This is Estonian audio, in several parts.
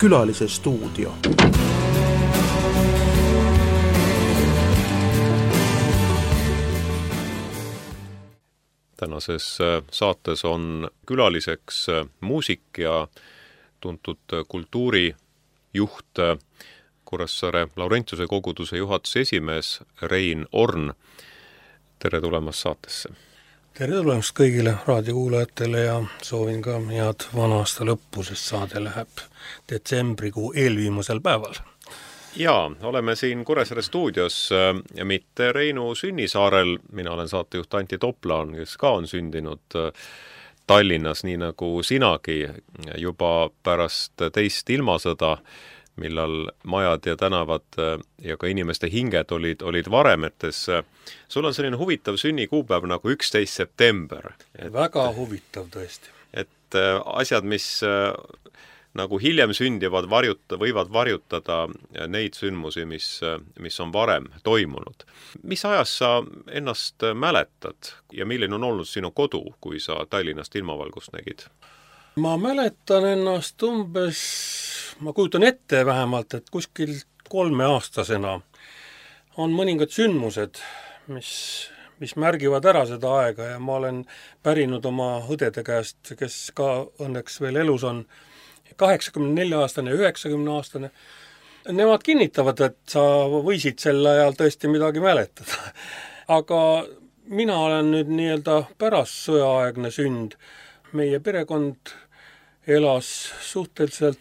külalise stuudio. Tänases saates on külaliseks muusik ja tuntud kultuurijuht, Kuressaare Laurentiuse koguduse juhatuse esimees Rein Orn. Tere tulemast saatesse! Tere tulemast kõigile raadiokuulajatele ja soovin ka head vana-aasta lõppu, sest saade läheb detsembrikuu eelviimasel päeval. Jaa, oleme siin Kuressaare stuudios ja mitte Reinu sünnisaarel. Mina olen saatejuht Antti Toplaan, kes ka on sündinud Tallinnas, nii nagu sinagi, juba pärast teist ilmasõda, millal majad ja tänavad ja ka inimeste hinged olid varemetes. Sul on selline huvitav sünnikuupäev nagu 11. september. Väga huvitav tõesti. Et asjad, mis nagu hiljem sündivad, võivad varjutada neid sündmusi, mis on varem toimunud. Mis ajas sa ennast mäletad ja milline on olnud sinu kodu, kui sa Tallinnast ilmavalgust nägid? Ma mäletan ennast ma kujutan ette vähemalt, et kuskil 3-aastasena on mõningad sündmused, mis märgivad ära seda aega ja ma olen pärinud oma õdede käest, kes ka õnneks veel elus on, 84-aastane, 90-aastane. Nemad kinnitavad, et sa võisid sel ajal tõesti midagi mäletada. Aga mina olen nüüd nii-öelda pärast sõjaaegne sünd. Meie perekond elas suhteliselt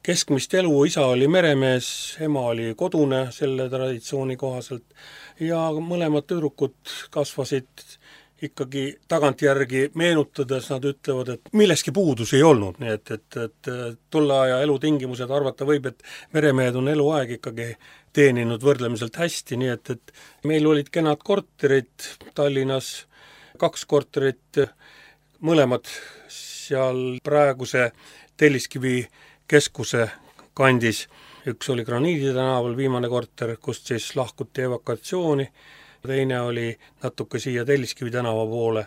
keskmist elu, isa oli meremees, ema oli kodune selle traditsiooni kohaselt ja mõlemad tüdrukud kasvasid ikkagi tagantjärgi meenutades, nad ütlevad, et milleski puudus ei olnud, nii et tolle aja elutingimused arvata võib, et meremehed on eluaeg ikkagi teeninud võrdlemiselt hästi, nii et meil olid kenad korterid Tallinnas, 2 korterit, mõlemad seal praeguse Telliskivi keskuse kandis. Üks oli Graniidi tänaval viimane korter, kust siis lahkuti evakatsiooni. Teine oli natuke siia Telliskivi tänava poole.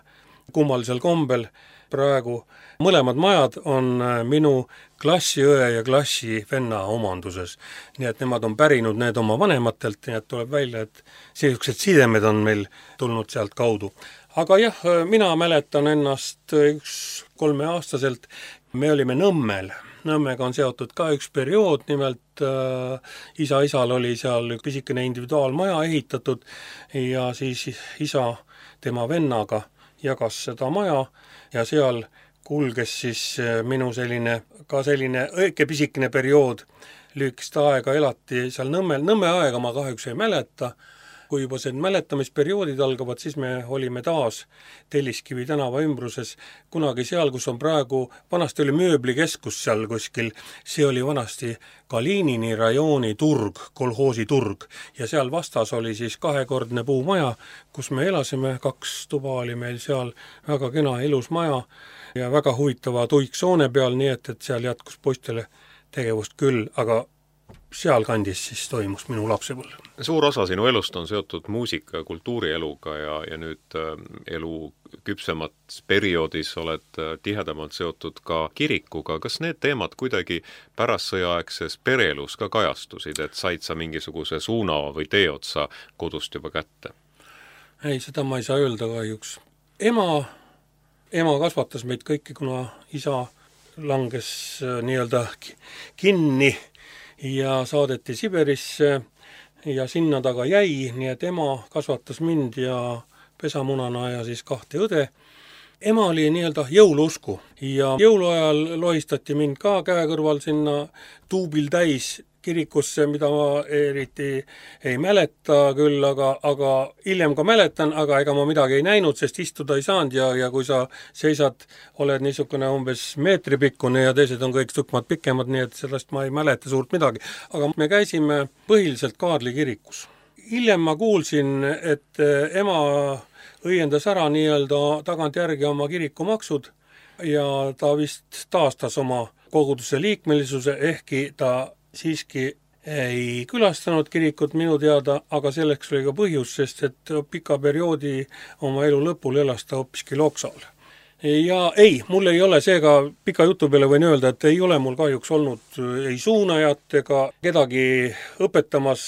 Kummalisel kombel praegu mõlemad majad on minu klassiõe ja klassivenna omanduses. Nii et nemad on pärinud need oma vanematelt, nii et tuleb välja, et sellised sidemed on meil tulnud sealt kaudu. Aga jah, mina mäletan ennast 3-aastaselt. Me olime Nõmmel. Nõmmega on seotud ka üks periood, nimelt isal oli seal pisikene individuaalmaja ehitatud ja siis isa tema vennaga jagas seda maja ja seal kulges siis minu selline õige pisikene periood. Lühikest aega elati seal Nõmmel. Nõmme aega ma kahjuks ei mäleta. Kui juba see mäletamisperioodid algavad, siis me olime taas Telliskivi tänava ümbruses. Kunagi seal, kus on praegu, vanasti oli mööblikeskus seal kuskil, see oli vanasti Kalinini rajooni turg, kolhoosi turg. Ja seal vastas oli siis 2-kordne puumaja, kus me elasime, 2 tuba oli meil seal, väga kena ilus maja ja väga huvitava tuiksoone peal, nii et seal jätkus poistele tegevust küll, aga seal kandis siis toimus minu lapsepõlv. Suur osa sinu elust on seotud muusika ja kultuurieluga ja nüüd elu küpsemat perioodis oled tihedamalt seotud ka kirikuga. Kas need teemad kuidagi pärast sõjaaegses pereelus ka kajastusid, et said sa mingisuguse suuna või teeotsa kodust juba kätte? Ei, seda ma ei saa öelda kahjuks. Ema kasvatas meid kõiki, kuna isa langes nii-öelda kinni ja saadeti Siberisse ja sinna taga jäi, nii et ema kasvatas mind ja pesamunana ja siis 2 õde. Ema oli nii-öelda jõuluusku ja jõuluajal lohistati mind ka käe kõrval sinna tuubil täis kirikusse, mida ma eriti ei mäleta küll, aga hiljem ka mäletan, aga ega ma midagi ei näinud, sest istuda ei saanud ja kui sa seisad, oled niisugune umbes meetripikkune ja teised on kõik tükk maad pikemad, nii et sellest ma ei mäleta suurt midagi. Aga me käisime põhiliselt Kaadli kirikus. Hiljem ma kuulsin, et ema õiendas ära nii-öelda tagantjärgi oma kirikumaksud ja ta vist taastas oma koguduse liikmelisuse, ehkki ta siiski ei külastanud kirikut minu teada, aga selleks oli ka põhjus, sest et pika perioodi oma elu lõpul elas ta hoopiski Loksal. ja ei, mul ei ole seega pika jutu peale võin öelda, et ei ole mul kahjuks olnud ei suunajat ega kedagi õpetamas,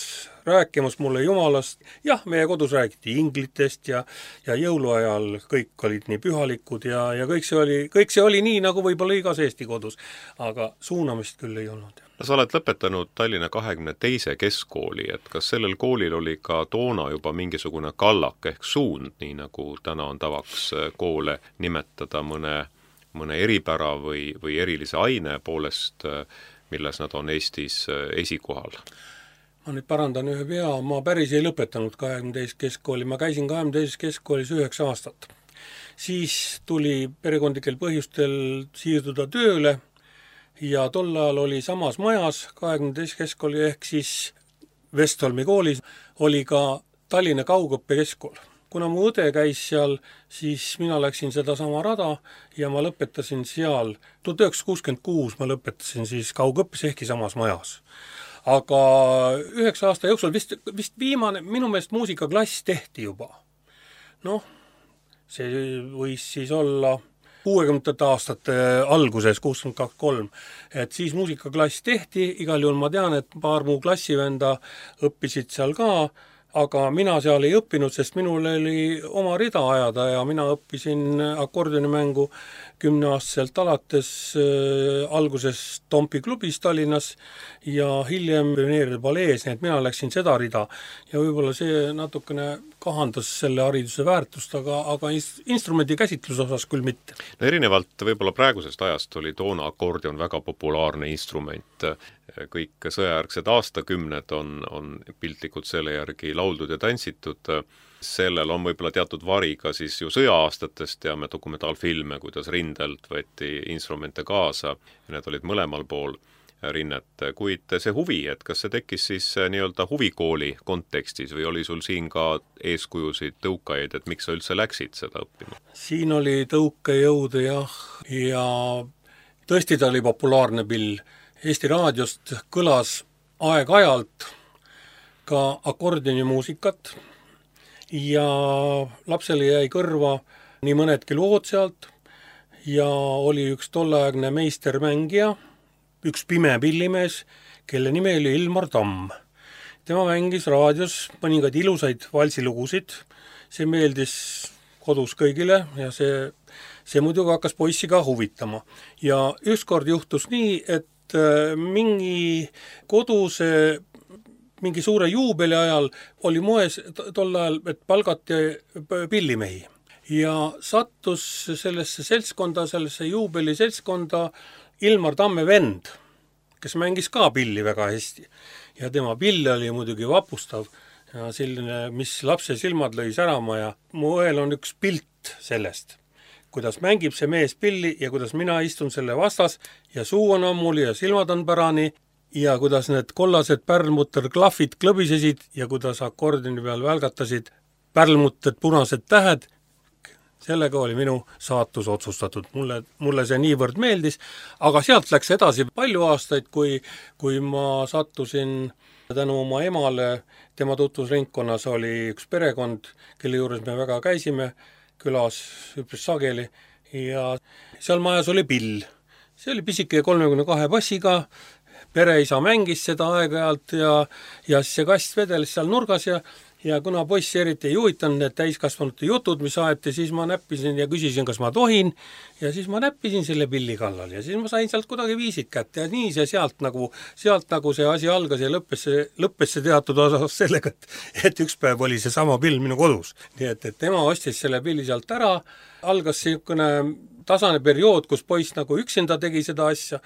rääkimas mulle jumalast. Jah, meie kodus räägiti inglitest ja jõuluajal kõik olid nii pühalikud ja kõik see oli nii, nagu võib-olla igas Eesti kodus, aga suunamist küll ei olnud. No sa oled lõpetanud Tallinna 22. keskkooli, et kas sellel koolil oli ka toona juba mingisugune kallak ehk suund, nii nagu täna on tavaks koole nimetada mõne eripära või erilise aine poolest, milles nad on Eestis esikohal? Ma nüüd parandan ühe vea, ma päris ei lõpetanud 22. keskkooli, ma käisin 22. keskkoolis 9 aastat. Siis tuli perekondlikel põhjustel siirduda tööle ja tol ajal oli samas majas 22. keskkooli ehk siis Vestholmi koolis oli ka Tallinna kaugõppe keskkool. Kuna mu õde käis seal, siis mina läksin seda sama rada ja ma lõpetasin seal, 1966 ma lõpetasin siis kaugõppes ehkki samas majas. Aga 9 aasta jooksul vist viimane, minu meelest muusikaklass tehti juba. Noh, see võis siis olla 60. aastate alguses, 62-63, et siis muusikaklass tehti, igal juhul ma tean, et paar muu klassivenda õppisid seal ka, aga mina seal ei õppinud, sest minul oli oma rida ajada ja mina õppisin akordioni 10-aastaselt alates alguses Tompi klubis Tallinnas ja hiljem pioneeride palees, nii et mina läksin seda rida ja võib-olla see natukene kahandas selle hariduse väärtust, aga instrumendi käsitluse osas küll mitte. No erinevalt võib-olla praegusest ajast oli toona akordion väga populaarne instrument. Kõik sõjajärgsed aastakümned on piltlikult selle järgi lauldud ja tantsitud. Sellel on võib-olla teatud vari ka siis ju sõja-aastatest, teame dokumentaalfilme, kuidas rindelt võeti instrumente kaasa ja need olid mõlemal pool rinnet, kuid see huvi, et kas see tekkis siis nii-öelda huvikooli kontekstis või oli sul siin ka eeskujusid, tõukajaid, et miks sa üldse läksid seda õppima? Siin oli tõukejõude jah, ja tõesti ta oli populaarne pill. Eesti raadiost kõlas aeg-ajalt ka akordionimuusikat ja lapsele jäi kõrva nii mõnedki lood sealt ja oli üks tolleaegne meistermängija, üks pime pillimees, kelle nimi oli Ilmar Tamm. Tema mängis raadios mõningaid ilusaid valsilugusid, see meeldis kodus kõigile ja see muidugi hakkas poissi ka huvitama. Ja ükskord juhtus nii, et mingi koduse mingi suure juubeli ajal oli moes tol ajal, et palgati pillimehi. Ja sattus sellesse seltskonda, sellesse juubeli seltskonda Ilmar Tamme vend, kes mängis ka pilli väga hästi. Ja tema pill oli muidugi vapustav ja selline, mis lapse silmad lõi särama ja mu õel on üks pilt sellest, kuidas mängib see mees pilli ja kuidas mina istun selle vastas ja suu on ammuli ja silmad on pärani ja kuidas need kollased pärlmutter klahvid klõbisesid ja kuidas akordioni peal välgatasid pärlmutted punased tähed. Sellega oli minu saatus otsustatud. Mulle see niivõrd meeldis, aga sealt läks edasi palju aastaid, kui ma sattusin tänu oma emale, tema tutvusringkonnas oli üks perekond, kelle juures me väga käisime külas üpris sageli ja seal majas oli pill. See oli pisike 32 bassiga, pereisa mängis seda aeg-ajalt ja siis see kast vedeles seal nurgas ja kuna poissi eriti ei huvitanud need täiskasvanute jutud, mis aeti, siis ma näppisin ja küsisin, kas ma tohin ja siis ma näppisin selle pilli kallal ja siis ma sain sealt kuidagi viisid kätte ja nii see sealt nagu see asi algas ja lõppes see teatud osas sellega, et üks päev oli see sama pill minu kodus. Nii et tema ostis selle pilli sealt ära, algas niisugune tasane periood, kus poiss nagu üksinda tegi seda asja,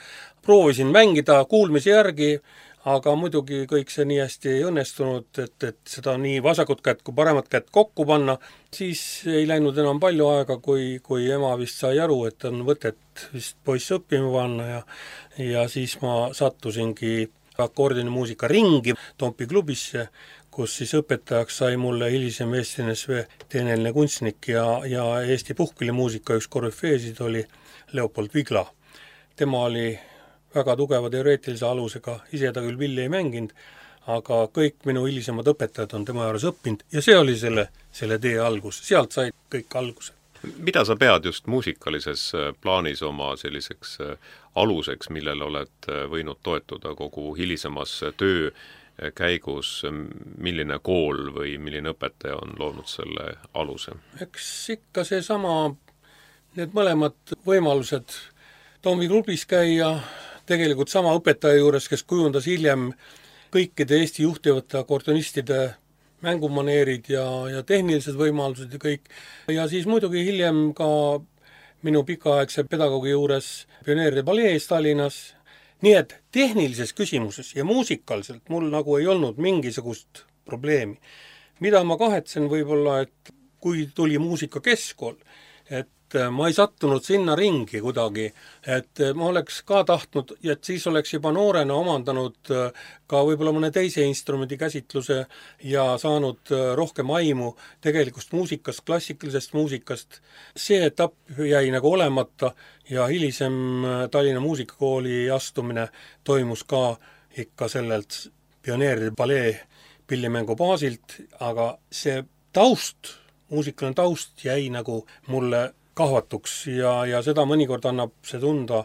proovisin mängida kuulmise järgi, aga muidugi kõik see nii hästi ei õnnestunud, et seda nii vasakut kätt kui paremat kätt kokku panna, siis ei läinud enam palju aega, kui ema vist sai aru, et on võtet vist poiss õppima panna ja siis ma sattusingi akordionimuusika ringi Tompi klubisse, kus siis õpetajaks sai mulle hilisem Eesti NSV teeneline kunstnik ja Eesti puhkpillimuusika üks korüfeesid oli Leopold Vigla. Tema oli väga tugeva teoreetilise alusega, ise ta küll pilli ei mänginud, aga kõik minu hilisemad õpetajad on tema juures õppinud ja see oli selle tee algus, sealt sai kõik alguse. Mida sa pead just muusikalises plaanis oma selliseks aluseks, millele oled võinud toetuda kogu hilisemas töö käigus, milline kool või milline õpetaja on loonud selle aluse? Eks ikka seesama, need mõlemad võimalused Toomi klubis käia, tegelikult sama õpetaja juures, kes kujundas hiljem kõikide Eesti juhtivate akordionistide mängumaneerid ja tehnilised võimalused ja kõik. Ja siis muidugi hiljem ka minu pikaaegse pedagoogi juures Pioneeride palees Tallinnas. Nii et tehnilises küsimuses ja muusikaliselt mul nagu ei olnud mingisugust probleemi. Mida ma kahetsen võib-olla, et kui tuli muusika keskkool, et ma ei sattunud sinna ringi kuidagi, et ma oleks ka tahtnud, et siis oleks juba noorena omandanud ka võib-olla mõne teise instrumendi käsitluse ja saanud rohkem aimu tegelikust muusikast, klassikalisest muusikast. See etapp jäi nagu olemata ja hilisem Tallinna muusikakooli astumine toimus ka ikka sellelt Pioneeride palee pillimängu baasilt, aga see taust, muusikaline taust jäi nagu mulle kahvatuks ja seda mõnikord annab see tunda,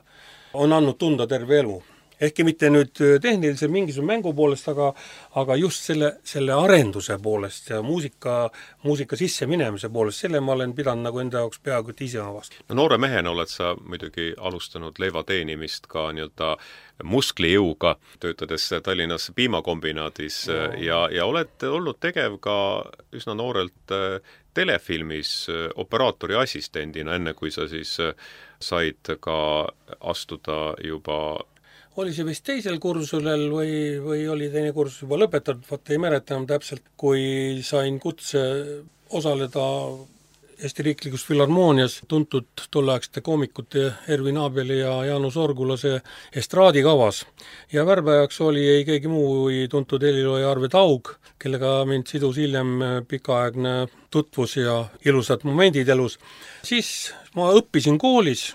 on andnud tunda terve elu. Ehkki mitte nüüd tehnilise mingisuguse mängu poolest, aga just selle arenduse poolest ja muusika sisse minemise poolest, selle ma olen pidanud nagu enda jaoks peaaegu ise vastu. No noore mehena oled sa muidugi alustanud leiva teenimist ka nii-öelda musklijõuga, töötades Tallinnas piimakombinaadis ja oled olnud tegev ka üsna noorelt telefilmis operaatori assistendina, enne kui sa siis said ka astuda juba. Oli see vist teisel kursusel või oli teine kursus juba lõpetatud, vaata ei mäleta enam täpselt, kui sain kutse osaleda Eesti Riiklikus Filharmoonias tuntud tolleaegsete koomikute Ervin Abeli ja Jaanus Orgulase estraadikavas. Ja värbajaks oli ei keegi muu tuntud helilooja Arve Taug, kellega mind sidus hiljem pikaaegne tutvus ja ilusad momendid elus. Siis ma õppisin koolis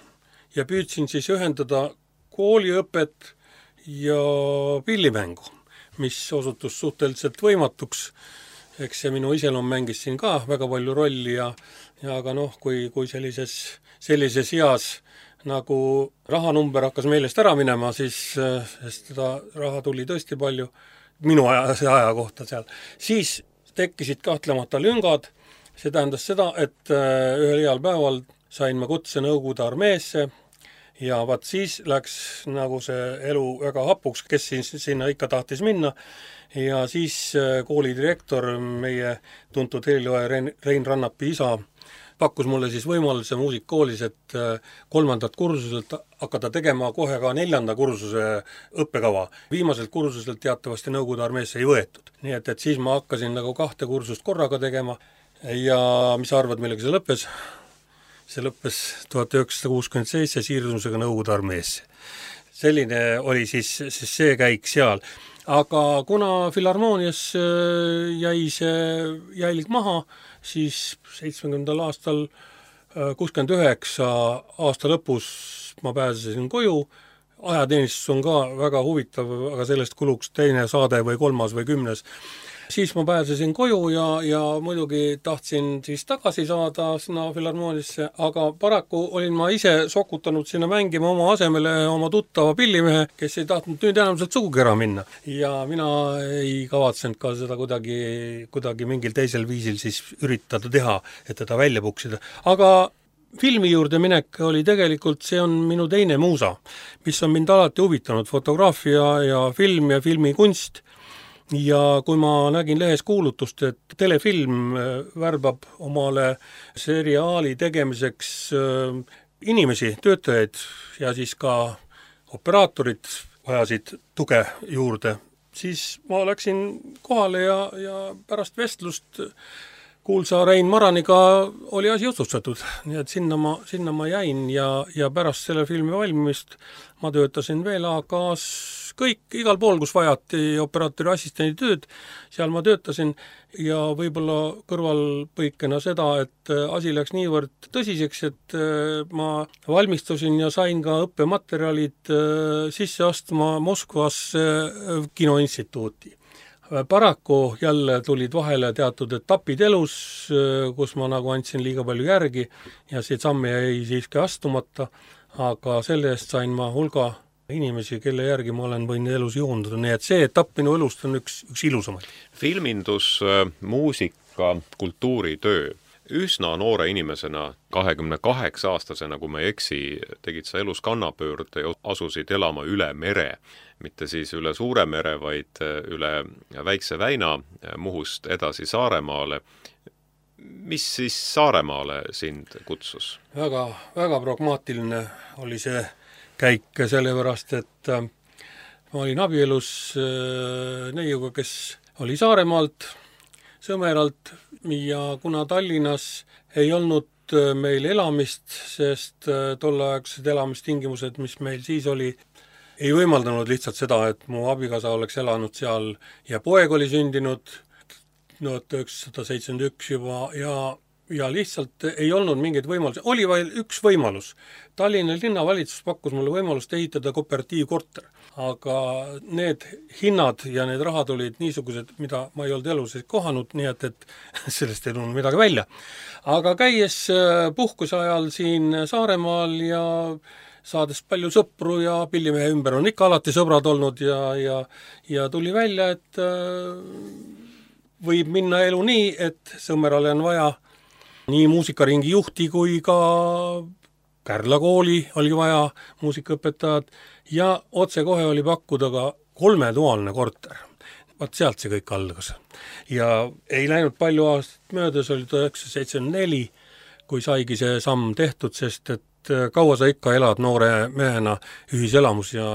ja püüdsin siis ühendada kooliõpet ja pillimängu, mis osutus suhteliselt võimatuks. Eks see minu iseloom mängis siin ka väga palju rolli ja aga kui sellises eas nagu rahanumber hakkas meelest ära minema, siis seda raha tuli tõesti palju minu aja kohta seal. Siis tekkisid kahtlemata lüngad, see tähendas seda, et ühel heal päeval sain ma kutse Nõukogude armeesse ja vaat siis läks nagu see elu väga hapuks, kes sinna ikka tahtis minna. Ja siis koolidirektor, meie tuntud helilooja Rein Rannapi isa, pakkus mulle siis võimaluse muusikakoolis, et 3. kursuselt hakata tegema kohe ka 4. kursuse õppekava. Viimaselt kursuselt teatavasti Nõukogude armeesse ei võetud. Nii et siis ma hakkasin nagu 2 kursust korraga tegema ja mis sa arvad, millega see lõppes? See lõppes 1967 siirdumisega Nõukogude armeesse. Selline oli siis see käik seal. Aga kuna Filharmoonias jäi see jälg maha, siis 70. aastal 69 aasta lõpus ma pääsesin koju. Ajateenistus on ka väga huvitav, aga sellest kuluks teine saade või 3. või 10. Siis ma pääsesin koju ja muidugi tahtsin siis tagasi saada sinna Filharmoonisse, aga paraku olin ma ise sokutanud sinna mängima oma asemele oma tuttava pillimehe, kes ei tahtnud nüüd enam sealt sugugi ära minna. Ja mina ei kavatsenud ka seda kuidagi mingil teisel viisil siis üritada teha, et teda välja puksida. Aga filmi juurde minek oli tegelikult, see on minu teine muusa, mis on mind alati huvitanud, fotograafia ja film ja filmikunst. Ja kui ma nägin lehes kuulutust, et telefilm värbab omale seriaali tegemiseks inimesi, töötajaid ja siis ka operaatorid vajasid tuge juurde, siis ma läksin kohale ja pärast vestlust kuulsa Rein Maraniga oli asi otsustatud. Nii et sinna ma jäin ja pärast selle filmi valmimist ma töötasin veel AK-s igal pool, kus vajati operaatori assistendi tööd, seal ma töötasin ja võib-olla kõrvalpõikena seda, et asi läks niivõrd tõsiseks, et ma valmistusin ja sain ka õppematerjalid sisse astuma Moskvasse kinoinstituuti. paraku jälle tulid vahele teatud etapid elus, kus ma nagu andsin liiga palju järgi ja see samm jäi siiski astumata, aga selle eest sain ma hulga inimesi, kelle järgi ma olen võinud elus joonduda, nii et see etapp minu elust on üks ilusamaid. Filmindus, muusika, kultuuritöö. Üsna noore inimesena, 28-aastasena, kui ma ei eksi, tegid sa elus kannapöörde ja asusid elama üle mere. Mitte siis üle Suure mere, vaid üle Väikse väina Muhust edasi Saaremaale. Mis siis Saaremaale sind kutsus? Väga, väga pragmaatiline oli see käik, sellepärast, et ma olin abielus neiuga, kes oli Saaremaalt, Sõmeralt, ja kuna Tallinnas ei olnud meil elamist, sest tolleaegsed elamistingimused, mis meil siis oli, ei võimaldanud lihtsalt seda, et mu abikaasa oleks elanud seal ja poeg oli sündinud 1971 juba ja lihtsalt ei olnud mingeid võimalusi. Oli vaid üks võimalus. Tallinna linnavalitsus pakkus mulle võimalust ehitada kooperatiivkorter, aga need hinnad ja need rahad olid niisugused, mida ma ei olnud elus kohanud, nii et sellest ei tulnud midagi välja. Aga käies puhkuse ajal siin Saaremaal ja saades palju sõpru ja Pillimehe ümber on ikka alati sõbrad olnud ja tuli välja, et võib minna elu nii, et Sõmerale on vaja nii muusikaringi juhti kui ka Kärla kooli oli vaja muusikaõpetajad ja otsekohe oli pakkuda ka 3-toaline korter. Vaat sealt see kõik algas. Ja ei läinud palju aastat möödas, oli 1974, kui saigi see samm tehtud, sest et kaua sa ikka elad noore mehena ühiselamus ja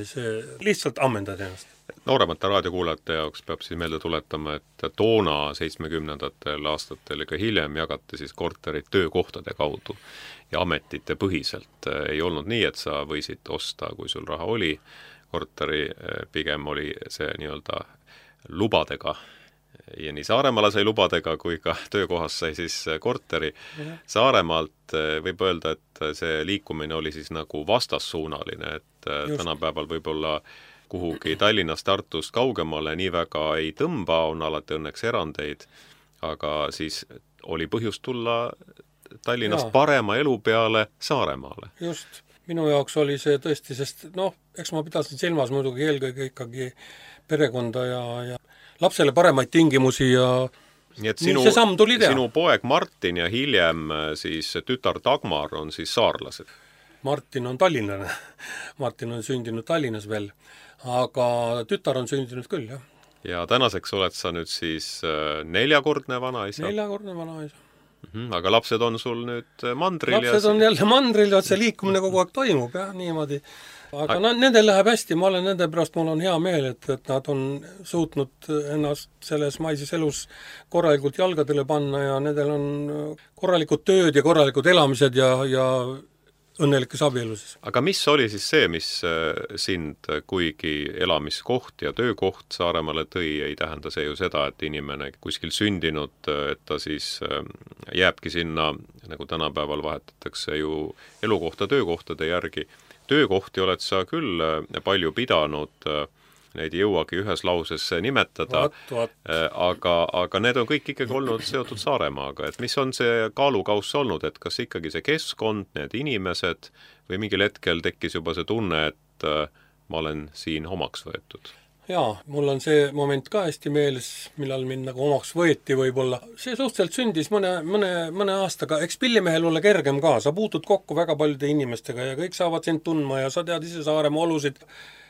see lihtsalt ammendad ennast. Nooremate raadiokuulajate jaoks peab siis meelde tuletama, et toona 70-ndatel aastatel ega hiljem jagati siis korterid töökohtade kaudu ja ametite põhiselt. Ei olnud nii, et sa võisid osta, kui sul raha oli korteri, pigem oli see nii-öelda lubadega. Ja nii Saaremaale sai lubadega, kui ka töökohas sai siis korteri. Saaremaalt võib öelda, et see liikumine oli siis nagu vastassuunaline, et tänapäeval võib-olla kuhugi Tallinnast, Tartust kaugemale nii väga ei tõmba, on alati õnneks erandeid, aga siis oli põhjust tulla Tallinnast parema elu peale Saaremaale. Just, minu jaoks oli see tõesti, sest eks ma pidasin silmas muidugi eelkõige ikkagi perekonda ja lapsele paremaid tingimusi ja nii et see samm tuli teha. Sinu poeg Martin ja hiljem siis tütar Dagmar on siis saarlased? Martin on tallinlane. Martin on sündinud Tallinnas veel, aga tütar on sündinud küll, jah. Ja tänaseks oled sa nüüd siis 4-kordne vanaisa? 4-kordne vanaisa. Aga lapsed on sul nüüd mandril? Lapsed on jälle mandril, et see liikumine kogu aeg toimub, jah, niimoodi. Aga nendel läheb hästi, ma olen nende pärast, mul on hea meel, et nad on suutnud ennast selles maises elus korralikult jalgadele panna ja nendel on korralikud tööd ja korralikud elamised ja õnnelikes abieluses. Aga mis oli siis see, mis sind, kuigi elamiskoht ja töökoht Saaremaale tõi, ei tähenda see ju seda, et inimene kuskil sündinud, et ta siis jääbki sinna, nagu tänapäeval vahetatakse ju elukohta töökohtade järgi. Töökohti oled sa küll palju pidanud, neid ei jõuagi ühes lauses nimetada, aga need on kõik ikkagi olnud seotud Saaremaaga. Et mis on see kaalukauss olnud, et kas ikkagi see keskkond, need inimesed või mingil hetkel tekkis juba see tunne, et ma olen siin omaks võetud? Jaa, mul on see moment ka hästi meeles, millal mind nagu omaks võeti võib-olla. See suhteliselt sündis mõne aastaga. Eks Pillimehel ole kergem ka, sa puutud kokku väga paljude inimestega ja kõik saavad sind tundma ja sa tead ise Saaremaa olusid.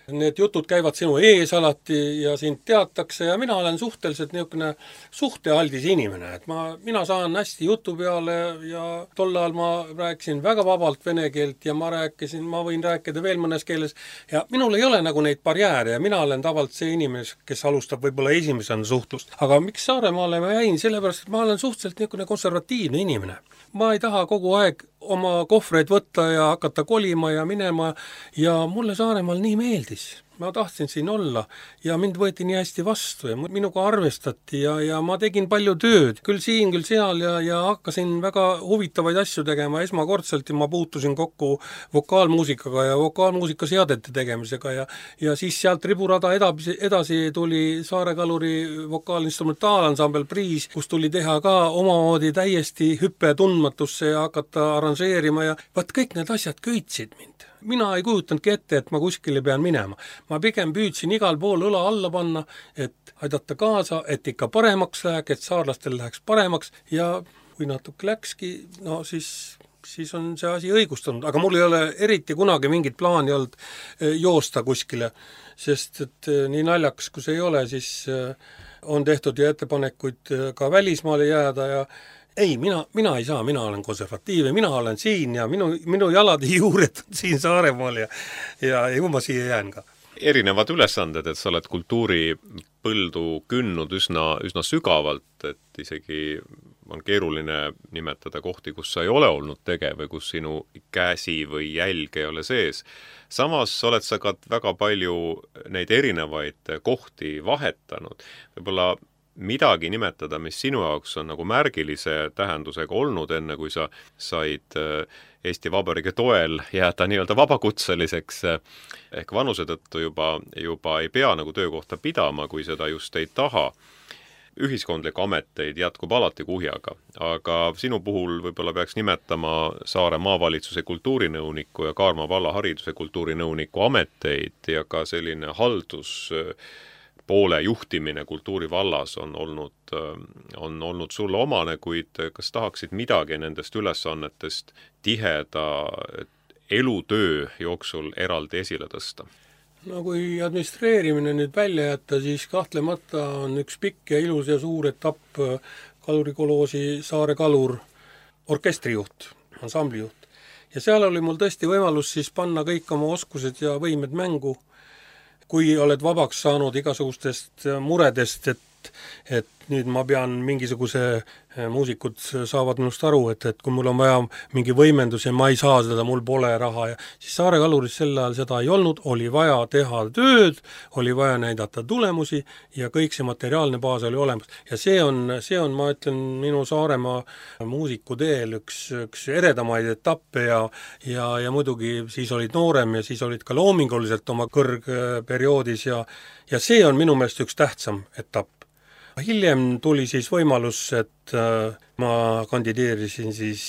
Need jutud käivad sinu ees alati ja sind teatakse ja mina olen suhteliselt niisugune suhtealdis inimene, et mina saan hästi jutu peale ja tol ajal ma rääkisin väga vabalt vene keelt ja ma võin rääkida veel mõnes keeles ja minul ei ole nagu neid barjääre ja mina olen tavalt see inimene, kes alustab võib-olla esimesena suhtlust. Aga miks Saaremaale ma jäin? Sellepärast, et ma olen suhteliselt niisugune konservatiivne inimene. Ma ei taha kogu aeg oma kohvreid võtta ja hakata kolima ja minema ja mulle Saaremaal nii meeldis. ma tahtsin siin olla ja mind võeti nii hästi vastu ja minuga arvestati ja ma tegin palju tööd, küll siin, küll seal ja hakkasin väga huvitavaid asju tegema, esmakordselt ma puutusin kokku vokaalmuusikaga ja vokaalmuusikaseadete tegemisega ja siis sealt riburada edasi tuli Saare Kaluri vokaalinstrumentaalansambel Priis, kus tuli teha ka omamoodi täiesti hüppe tundmatusse ja hakata arranžeerima ja vaat kõik need asjad köitsid mind. Mina ei kujutanudki ette, et ma kuskile pean minema. Ma pigem püüdsin igal pool õla alla panna, et aidata kaasa, et ikka paremaks läheks, et saarlastel läheks paremaks ja kui natuke läkski, no siis on see asi õigustunud. Aga mul ei ole eriti kunagi mingit plaani olnud joosta kuskile, sest et nii naljakas, kui see ei ole, siis on tehtud ju ettepanekuid ka välismaale jääda ja ei, mina ei saa, mina olen konservatiiv ja mina olen siin ja minu jalad ja juured on siin Saaremaal ja ju ma siia jään ka. Erinevad ülesanded, et sa oled kultuuripõldu künnud üsna sügavalt, et isegi on keeruline nimetada kohti, kus sa ei ole olnud tegev või kus sinu käsi või jälg ei ole sees. Samas oled sa ka väga palju neid erinevaid kohti vahetanud. Võib-olla midagi nimetada, mis sinu jaoks on nagu märgilise tähendusega olnud, enne kui sa said Eesti Vabariigi toel jääda nii-öelda vabakutseliseks, ehk vanuse tõttu juba ei pea nagu töökohta pidama, kui seda just ei taha. Ühiskondlikke ameteid jätkub alati kuhjaga, aga sinu puhul võib-olla peaks nimetama Saare maavalitsuse kultuurinõuniku ja Kaarma valla hariduse kultuurinõuniku ameteid ja ka selline poole juhtimine kultuurivallas on olnud sulle omane, kuid kas tahaksid midagi nendest ülesannetest tiheda elutöö jooksul eraldi esile tõsta? No kui administreerimine nüüd välja jätta, siis kahtlemata on üks pikk ja ilus ja suur etapp kalurikoloosi Saare Kalur orkestrijuht, ansamblijuht. Ja seal oli mul tõesti võimalus siis panna kõik oma oskused ja võimed mängu, kui oled vabaks saanud igasugustest muredest, et nüüd ma pean mingisuguse, muusikud saavad minust aru, et kui mul on vaja mingi võimendus ja ma ei saa seda, mul pole raha ja siis Saare Kaluris sel ajal seda ei olnud, oli vaja teha tööd, oli vaja näidata tulemusi ja kõik see materiaalne baas oli olemas. Ja see on, ma ütlen, minu Saaremaa muusikuteel üks eredamaid etappe ja muidugi siis olid noorem ja siis olid ka loominguliselt oma kõrgperioodis ja see on minu meelest üks tähtsam etapp. Hiljem tuli siis võimalus, et ma kandideerisin siis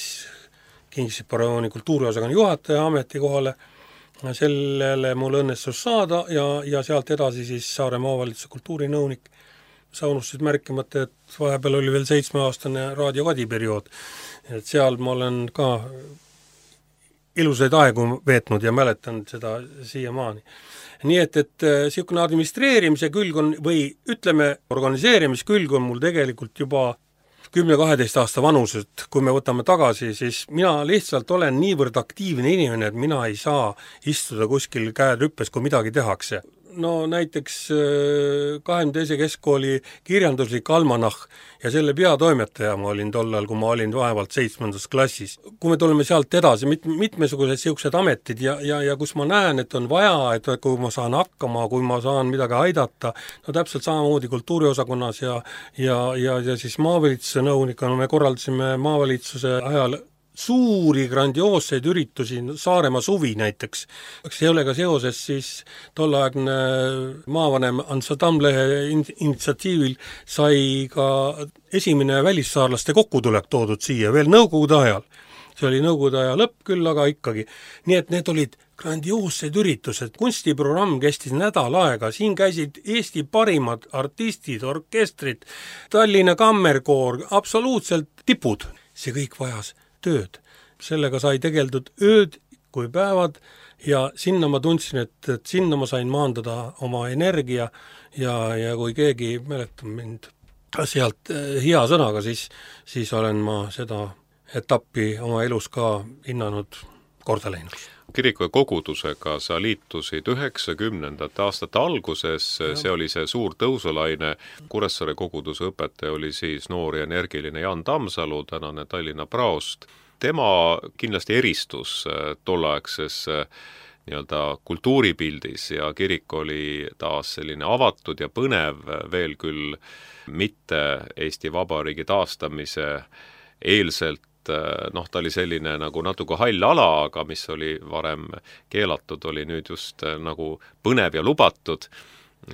Kingissepa rajooni kultuuriosakonna juhataja ametikohale. Sellele mul õnnestus saada ja sealt edasi siis Saare maavalitsuse kultuurinõunik. Sa unustasid märkimata, et vahepeal oli veel 7-aastane Raadio Kadi periood. Et seal ma olen ka ilusaid aegu veetnud ja mäletan seda siiamaani. Nii et siukene administreerimise külg on, või ütleme, organiseerimiskülg on mul tegelikult juba 10-12 aasta vanuselt, kui me võtame tagasi, siis mina lihtsalt olen niivõrd aktiivne inimene, et mina ei saa istuda kuskil käed rüppes, kui midagi tehakse. No näiteks 22. keskkooli kirjanduslik almanahh ja selle peatoimetaja ma olin tollal, kui ma olin vaevalt 7. klassis. Kui me tuleme sealt edasi, mitmesugused siuksed ametid ja kus ma näen, et on vaja, et kui ma saan hakkama, kui ma saan midagi aidata, no täpselt samamoodi kultuuriosakonnas ja siis maavalitsuse nõunikuna me korraldasime maavalitsuse ajal suuri grandioosseid üritusi, Saaremaa suvi näiteks. Sellega seoses siis tollaegne maavanem Ants Tammlehe initsiatiivil sai ka esimene välissaarlaste kokkutulek toodud siia veel nõukogude ajal. See oli nõukogude aja lõpp küll, aga ikkagi. Nii et need olid grandioossed üritused. Kunstiprogramm kestis nädal aega. Siin käisid Eesti parimad artistid, orkestrid, Tallinna kammerkoor, absoluutselt tipud. See kõik vajas tööd. Sellega sai tegeldud ööd kui päevad ja sinna ma tundsin, et sinna ma sain maandada oma energia ja kui keegi mäletab mind sealt hea sõnaga, siis olen ma seda etappi oma elus ka hinnanud korda läinud. Kiriku ja kogudusega sa liitusid 90. aastate alguses, see oli see suur tõusulaine. Kuressaare koguduse õpetaja oli siis noor ja energiline Jan Tammsalu, tänane Tallinna praost. Tema kindlasti eristus tolleaegses nii-öelda kultuuripildis ja kirik oli taas selline avatud ja põnev, veel küll mitte Eesti Vabariigi taastamise eelselt, ta oli selline nagu natuke hall ala, aga mis oli varem keelatud, oli nüüd just nagu põnev ja lubatud.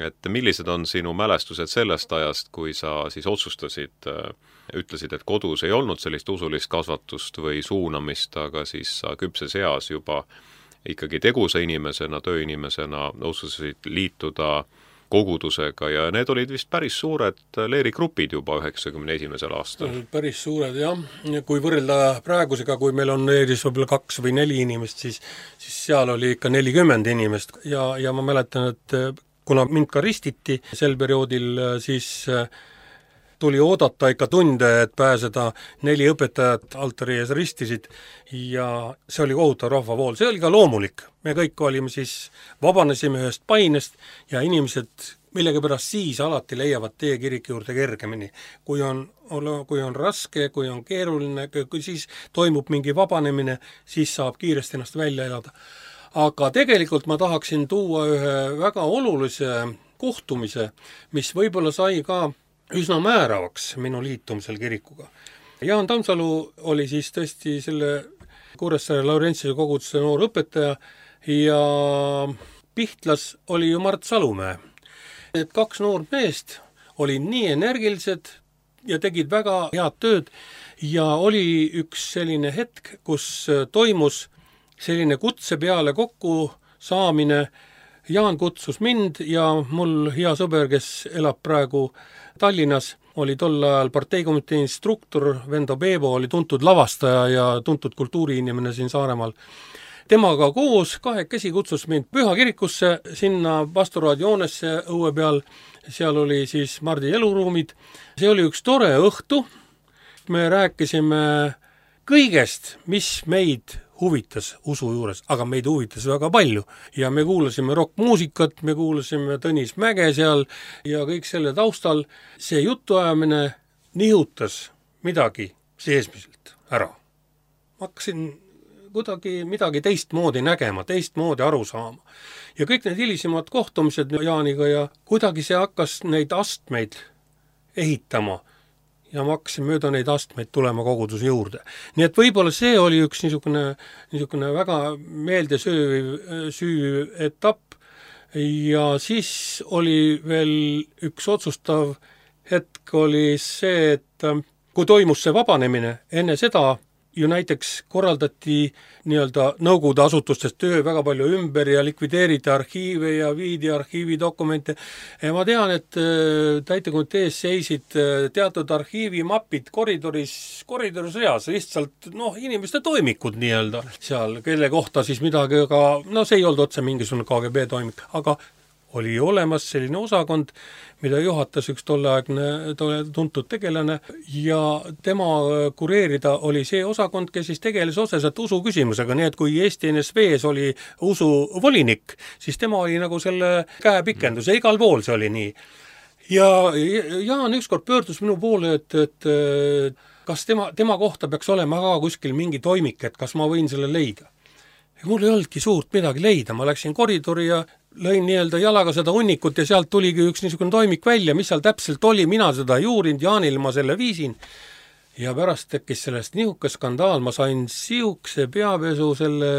Et millised on sinu mälestused sellest ajast, kui sa siis otsustasid, ütlesid, et kodus ei olnud sellist usulist kasvatust või suunamist, aga siis sa küpses eas juba ikkagi tegusa inimesena, tööinimesena otsustasid liituda kogudusega ja need olid vist päris suured leerigrupid juba 91. aastal. Päris suured, jah. Kui võrrelda praegusega, kui meil on leeris võib-olla 2 või 4 inimest, siis seal oli ikka 40 inimest ja ma mäletan, et kuna mind ka ristiti sel perioodil, siis tuli oodata ikka tunde, et pääseda. 4 õpetajat altari ees ristisid ja see oli kohutav rahvavool. See oli ka loomulik. Me kõik olime siis, vabanesime ühest painest ja inimesed millegipärast siis alati leiavad tee kiriku juurde kergemini. Kui on raske, kui on keeruline, kui siis toimub mingi vabanemine, siis saab kiiresti ennast välja elada. Aga tegelikult ma tahaksin tuua ühe väga olulise kohtumise, mis võib-olla sai ka üsna määravaks minu liitumisel kirikuga. Jaan Tammsalu oli siis tõesti selle Kuressaare Laurentsuse koguduse noor õpetaja ja Pihtlas oli ju Mart Salumäe. Need 2 noort meest oli nii energilised ja tegid väga head tööd ja oli üks selline hetk, kus toimus selline kutse peale kokku saamine. Jaan kutsus mind ja mul hea sõber, kes elab praegu Tallinnas, oli tol ajal parteikomitee instruktor, Vendo Peevo oli tuntud lavastaja ja tuntud kultuuriinimene siin Saaremaal. Temaga koos 2 kutsus mind Püha kirikusse, sinna pastoraadioonesse õue peal, seal oli siis Mardi eluruumid. See oli üks tore õhtu, me rääkisime kõigest, mis meid huvitas usu juures, aga meid huvitas väga palju ja me kuulasime rockmuusikat, me kuulasime Tõnis Mäge seal ja kõik selle taustal see jutuajamine nihutas midagi seesmiselt ära. Ma hakkasin kuidagi midagi teistmoodi nägema, teistmoodi aru saama. Ja kõik need hilisemad kohtumised Jaaniga ja kuidagi see hakkas neid astmeid ehitama ja ma hakkasin mööda neid astmeid tulema koguduse juurde. Nii et võib-olla see oli üks niisugune väga meeldesüüv etapp ja siis oli veel üks otsustav hetk oli see, et kui toimus see vabanemine, enne seda ju näiteks korraldati nii-öelda Nõukogude asutustest töö väga palju ümber ja likvideeriti arhiive ja viidi arhiividokumente. Ja ma tean, et täitekomitees seisid teatud arhiivimapid koridoris reas, lihtsalt inimeste toimikud nii-öelda seal, kelle kohta siis midagi, aga see ei olnud otse mingisugune KGB toimik, aga oli olemas selline osakond, mida juhatas üks tolleaegne tuntud tegelane ja tema kureerida oli see osakond, kes siis tegeles otseselt usu küsimusega, nii et kui Eesti NSV-s oli usuvolinik, siis tema oli nagu selle käepikendus ja igal pool see oli nii. Ja Jaan ükskord pöördus minu poole, et kas tema kohta peaks olema ka kuskil mingi toimik, et kas ma võin selle leida. Ja mul ei olnudki suurt midagi leida, ma läksin koridori ja lõin nii-öelda jalaga seda hunnikut ja sealt tuligi üks niisugune toimik välja, mis seal täpselt oli, mina seda ei uurinud, Jaanil ma selle viisin ja pärast tekkis sellest nihuke skandaal, ma sain siukse peapesu selle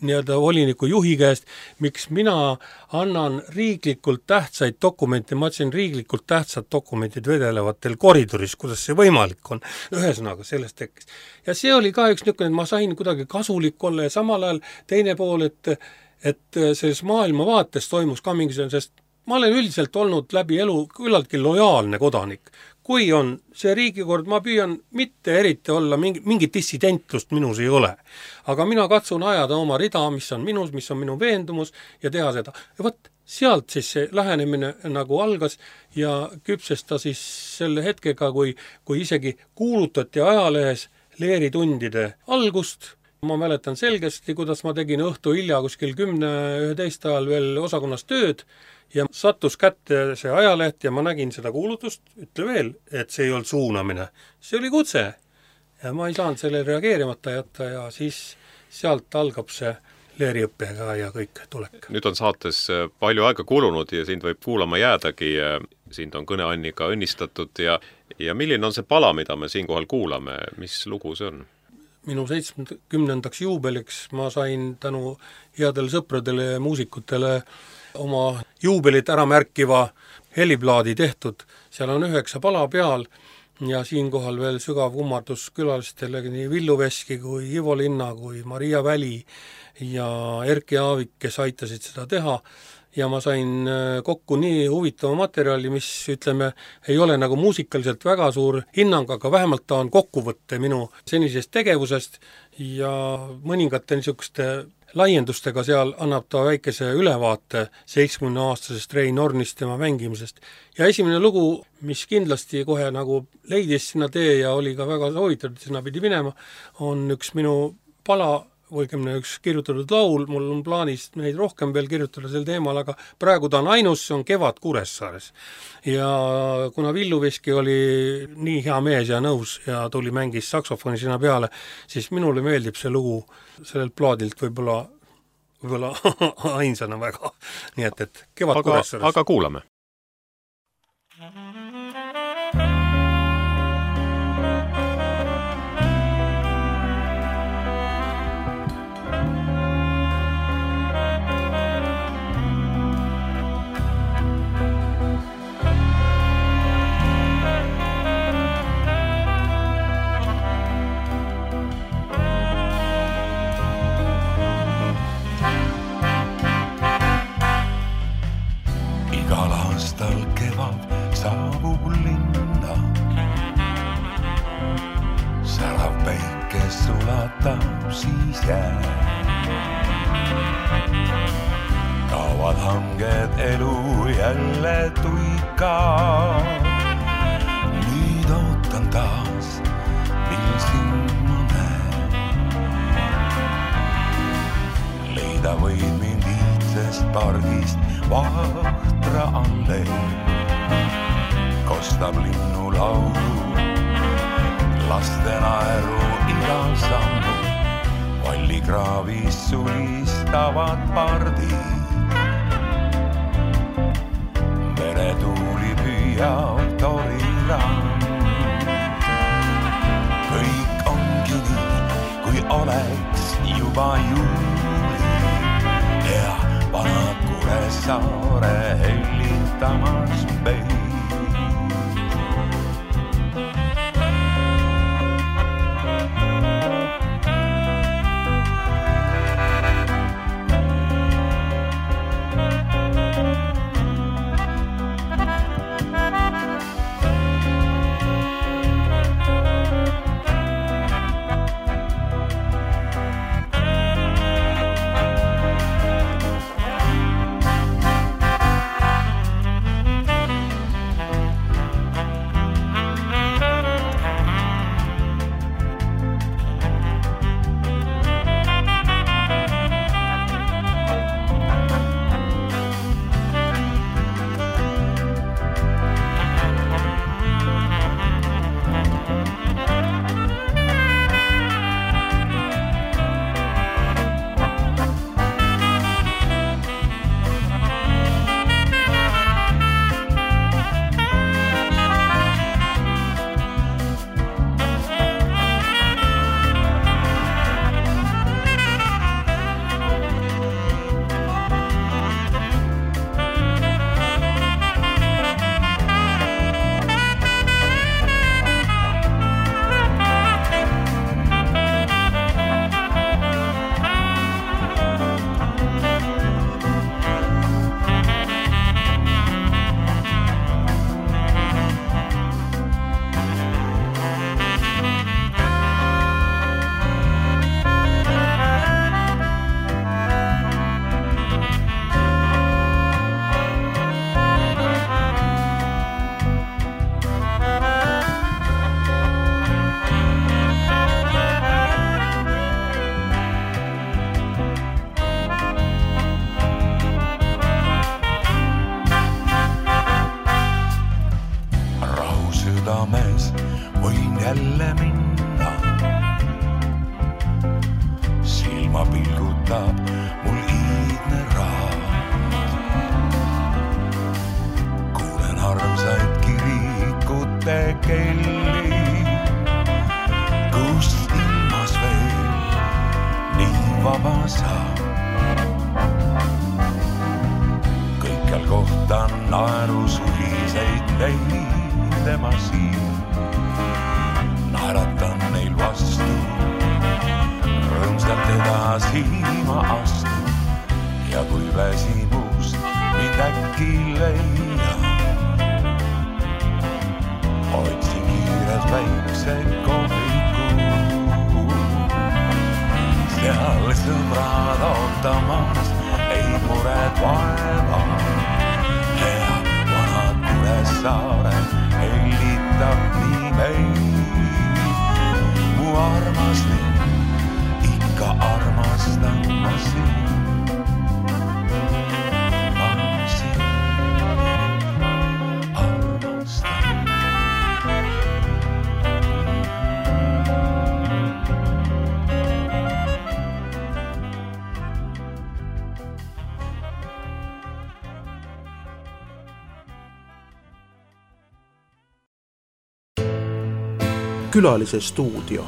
nii-öelda voliniku juhi käest, miks mina annan riiklikult tähtsaid dokumente, ma ütlesin riiklikult tähtsad dokumendid vedelevatel koridoris, kuidas see võimalik on. Ühesõnaga, sellest tekkis. Ja see oli ka üks niisugune, et ma sain kuidagi kasulik olla ja samal ajal teine pool, et selles maailmavaates toimus ka mingisugune, sest ma olen üldiselt olnud läbi elu küllaltki lojaalne kodanik. Kui on see riigikord, ma püüan mitte eriti olla, mingit dissidentlust minus ei ole. Aga mina katsun ajada oma rida, mis on minus, mis on minu veendumus ja teha seda. Ja võt, sealt siis see lähenemine nagu algas ja küpses ta siis selle hetkega, kui isegi kuulutati ajalehes leeritundide algust. Ma mäletan selgesti, kuidas ma tegin õhtu hilja kuskil 10-11 ajal veel osakonnas tööd ja sattus kätte see ajaleht ja ma nägin seda kuulutust, ütle veel, et see ei olnud suunamine. See oli kutse ja ma ei saanud selle reageerimata jätta ja siis sealt algab see leeriõppega ja kõik tulek. Nüüd on saates palju aega kulunud ja sind võib kuulama jäädagi. Sind on kõne Anniga õnnistatud ja milline on see pala, mida me siinkohal kuulame? Mis lugu see on? Minu 70. juubeliks ma sain tänu headele sõpradele ja muusikutele oma juubelit ära märkiva heliplaadi tehtud. Seal on 9 pala peal ja siinkohal veel sügav kummardus külalistele nii Villu Veski kui Ivo Linna kui Maria Väli ja Erki Aavik, kes aitasid seda teha. Ja ma sain kokku nii huvitava materjali, mis ütleme, ei ole nagu muusikaliselt väga suur hinnang, aga vähemalt ta on kokkuvõtte minu senisest tegevusest ja mõningate niisuguste laiendustega seal annab ta väikese ülevaate 70-aastasest Rein Ornist tema mängimisest. Ja esimene lugu, mis kindlasti kohe nagu leidis sinna tee ja oli ka väga soovitatud, sinna pidi minema, on üks minu pala, võigemine üks kirjutatud laul, mul on plaanis neid rohkem veel kirjutada sel teemal, aga praegu ta on ainus, see on Kevad Kuressaares. Ja kuna Villu Veski oli nii hea mees ja nõus ja tuli mängis saksofoni sinna peale, siis minule meeldib see lugu sellelt plaadilt võib-olla ainsana väga. Nii et Kevad Kuressaares. Aga kuulame. Kevad saabub linna, särav päike sulatab siis jää. Kaovad hanged elu jälle tuika, nüüd ootan taas, mil sind ma näen. Leida võid mind iitsest pargist Vahtra allee, kostab linnu laulu, laste naeru igal sammu, vallikraavis sulistavad pardid. Meretuuli püüab torirand, kõik ongi nii, kui oleks juba juuli ja vanad Kuressaare hellitamas meid. mul iidne raat. Kuulen armsaid kirikute kelli, kus ilmas veel nii vaba saab. Kõikjal kohtan naerusuliseid leide ma siin. Naeratan neil vastu, rõõmsalt edasi ma astun. Ja kui väsimus mind äkki leiab, otsin kiirelt väikse kohviku. Seal sõbrad ootamas, ei mured vaeva. Hea vanad Kuressaare hellitab nii meil. Mu armas linn, ikka armastan ma sind. Ma sind armastan. Külalise stuudio.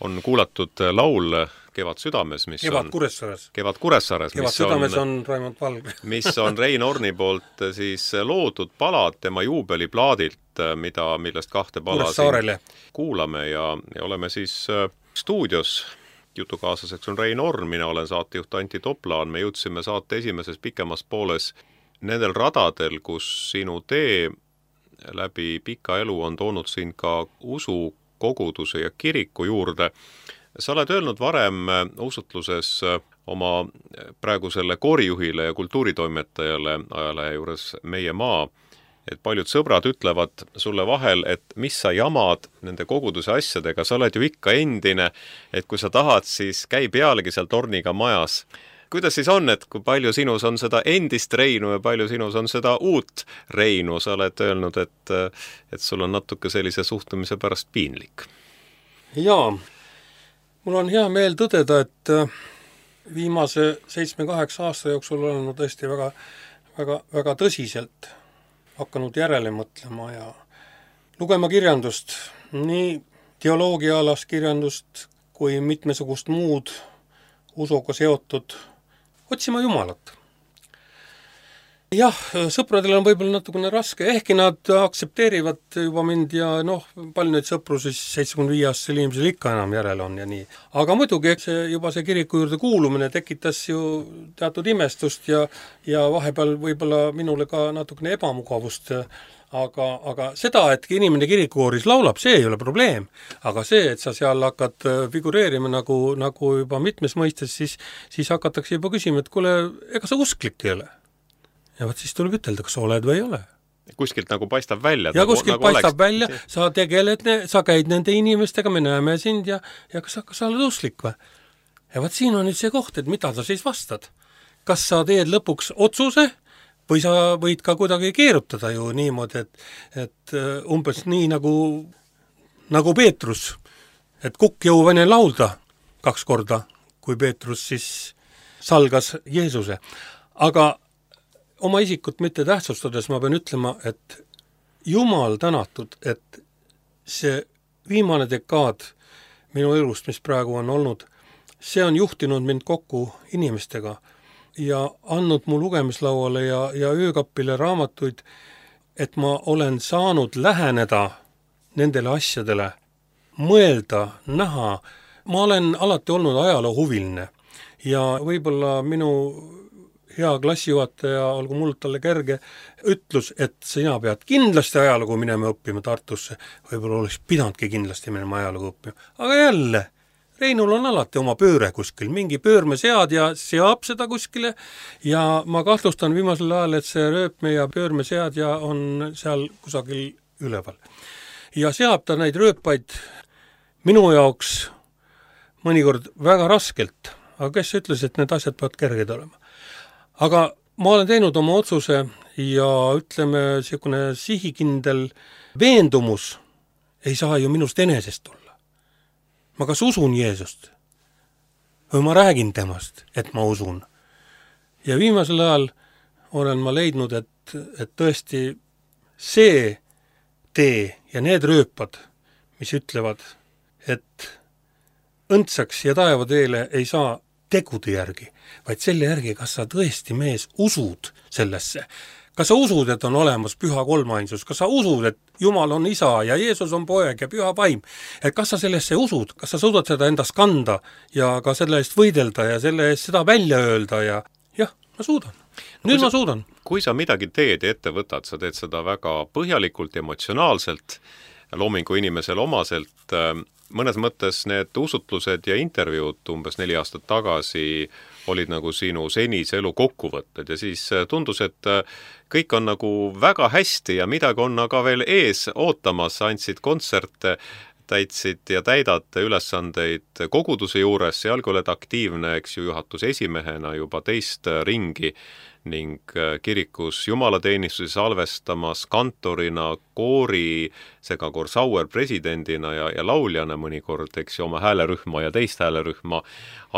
On kuulatud laul Kevad südames, mis Kevad on Kuressaares. Kevad Kuressaares, Kevad südames on Raimond Valg. mis on Rein Orni poolt siis loodud palad tema juubeliplaadilt, millest kahte pala Kuressaarele kuulame ja oleme siis stuudios. Jutukaaslaseks on Rein Orn, mina olen saatejuht Antti Toplaan. Me jõudsime saate esimeses pikemas pooles nendel radadel, kus sinu tee läbi pika elu on toonud sind ka usu, koguduse ja kiriku juurde. Sa oled öelnud varem usutluses oma praegusele koorijuhile ja kultuuritoimetajale ajalehe juures Meie Maa, et paljud sõbrad ütlevad sulle vahel, et mis sa jamad nende koguduse asjadega, sa oled ju ikka endine, et kui sa tahad, siis käi pealegi seal torniga majas. Kuidas siis on, et kui palju sinus on seda endist Reinu ja palju sinus on seda uut Reinu? Sa oled öelnud, et sul on natuke sellise suhtumise pärast piinlik. Jaa, mul on hea meel tõdeda, et viimase 7-8 aasta jooksul olen tõesti väga tõsiselt hakanud järele mõtlema ja lugema kirjandust, nii teoloogiaalast kirjandust kui mitmesugust muud usuga seotud, otsima Jumalat. Jah, sõpradel on võib-olla natukene raske, ehkki nad aktsepteerivad juba mind ja palju neid sõpru siis 75-aastasel inimesel ikka enam järele on ja nii. Aga muidugi, eks juba see kiriku juurde kuulumine tekitas ju teatud imestust ja vahepeal võib-olla minule ka natukene ebamugavust, aga seda, et inimene kirikukooris laulab, see ei ole probleem. Aga see, et sa seal hakkad figureerima nagu juba mitmes mõistes, siis hakatakse juba küsima, et kuule, ega sa usklik ei ole. Ja võt siis tuleb ütelda, kas sa oled või ei ole. Kuskilt nagu paistab välja. Ja kuskilt paistab välja, sa tegeled, sa käid nende inimestega, me näeme sind ja kas sa oled usklik või? Ja võt siin on nüüd see koht, et mida sa siis vastad. Kas sa teed lõpuks otsuse või sa võid ka kuidagi keerutada ju niimoodi, et umbes nii nagu Peetrus, et kukk jõuvane laulda 2 korda, kui Peetrus siis salgas Jeesuse. Aga oma isikut mitte tähtsustades ma pean ütlema, et Jumal tänatud, et see viimane dekaad minu elust, mis praegu on olnud, see on juhtinud mind kokku inimestega ja andnud mu lugemislauale ja öökapile raamatuid, et ma olen saanud läheneda nendele asjadele, mõelda, näha. Ma olen alati olnud ajaloohuviline ja võib-olla minu hea klassijuhataja, olgu mul talle kerge, ütlus, et sina pead kindlasti ajalugu minema õppima Tartusse. Võib-olla oleks pidandki kindlasti minema ajalugu õppima. Aga jälle, Reinul on alati oma pööre kuskil, mingi pöörmesead ja seab seda kuskile ja ma kahtlustan viimasel ajal, et see rööpme ja pöörmesead ja on seal kusagil üleval. Ja seab ta neid rööpaid minu jaoks mõnikord väga raskelt, aga kes ütles, et need asjad peavad kerged olema. Aga ma olen teinud oma otsuse ja ütleme, niisugune sihikindel veendumus ei saa ju minust enesest tulla. Ma kas usun Jeesust või ma räägin temast, et ma usun. Ja viimasel ajal olen ma leidnud, et tõesti see tee ja need rööpad, mis ütlevad, et õndsaks ja taevateele ei saa tegude järgi, vaid selle järgi, kas sa tõesti, mees, usud sellesse. Kas sa usud, et on olemas püha kolmainsus? Kas sa usud, et Jumal on isa ja Jeesus on poeg ja püha vaim? Et kas sa sellesse usud? Kas sa suudad seda endast kanda ja ka selle eest võidelda ja selle eest seda välja öelda ja jah, ma suudan. Nüüd ma suudan. Kui sa midagi teed ja ette võtad, sa teed seda väga põhjalikult, emotsionaalselt, loomingu inimesele omaselt. Mõnes mõttes need usutlused ja intervjuud umbes 4 aastat tagasi olid nagu sinu senise elu kokkuvõtted ja siis tundus, et kõik on nagu väga hästi ja midagi on aga veel ees ootamas, andsid kontserte, täitsid ja täidad ülesandeid koguduse juures, sealgi oled aktiivne, eks ju, juhatuse esimehena juba 2 ringi ning kirikus jumalateenistusi salvestamas kantorina, koori, segakoor Sauer presidendina ja lauljana mõnikord, eks ju, oma häälerühma ja teist häälerühma